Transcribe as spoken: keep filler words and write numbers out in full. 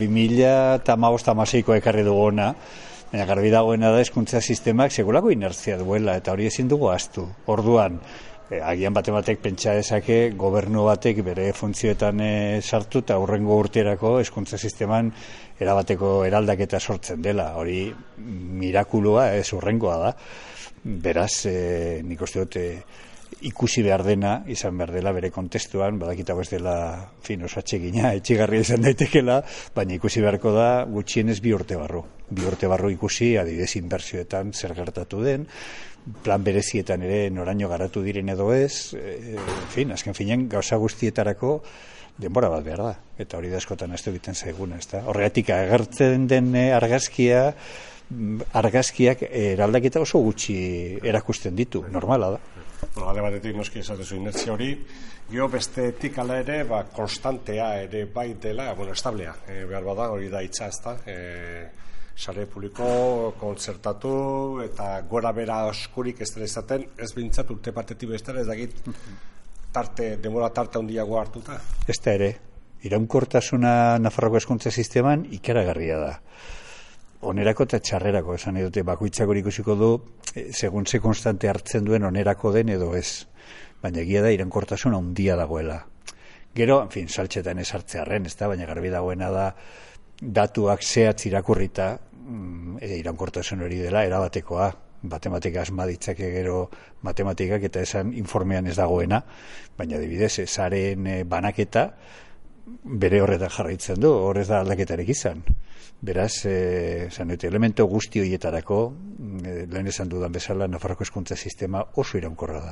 bi mila hamabost hamaseiko ekarri duguna, baina garbi dagoena da hezkuntza sistemak sekulako inertzia duela, eta hori ezin dugu ahaztu. Orduan, eh, agian bate batek pentsa dezake gobernu batek bere funtzioetan eh, sartu eta hurrengo urterako hezkuntza sisteman erabateko eraldaketa sortzen dela. Hori mirakulua ez hurrengoa da. Beraz, eh, nik uste dut eh, ikusi behar dena, izan behar dela bere kontestuan, badakitago ez dela fin oso atsegina, etxigarria izan daitekela, baina ikusi beharko da gutxienez bi urte barru. Bi urte barru ikusi, adibidez inbertsioetan zer gertatu den, plan berezietan ere noraino garatu diren edo ez, e, fin, azken finean gauza guztietarako denbora bat behar da, eta hori da askotan ez egiten zaiguna, ez da. Horregatik agertzen den argazkia, argazkiak eraldaketa oso gutxi erakusten ditu, normala da. Bueno, alde batetik noski esatezu inertzia hori, gero bestetik ala ere, ba, konstantea ere bai dela, bueno, establea, e, behar bada, hori da hitza, ez da, e, sare publiko, kontzertatu, eta gora bera oskurik ez dela izaten, ez bintzat urte partetik bestera, ez dakit tarte, demora tarte handiago hartuta. Ez da ere, iraunkortasuna Nafarroko hezkuntza sisteman ikaragarria da. Onerako eta txarrerako, esan edute bakoitzak hori ikusiko du, e, segun ze konstante hartzen duen onerako den edo ez. Baina egia da iraunkortasuna handia dagoela. Gero, en fin, saltxetan ez hartzearren, ez da, baina garbi dagoena da datuak zehatz irakurrita, e, iraunkortasun hori dela erabatekoa. Matematika asma ditzake gero matematikak eta esan informean ez dagoena, baina adibidez, saren e, banaketa bere horretan jarraitzen du, horrez da aldaketarek izan. Beraz, eh, elemento guzti horietarako, eh, lehen esan dudan bezala, Nafarroko hezkuntza sistema oso iraunkorra da.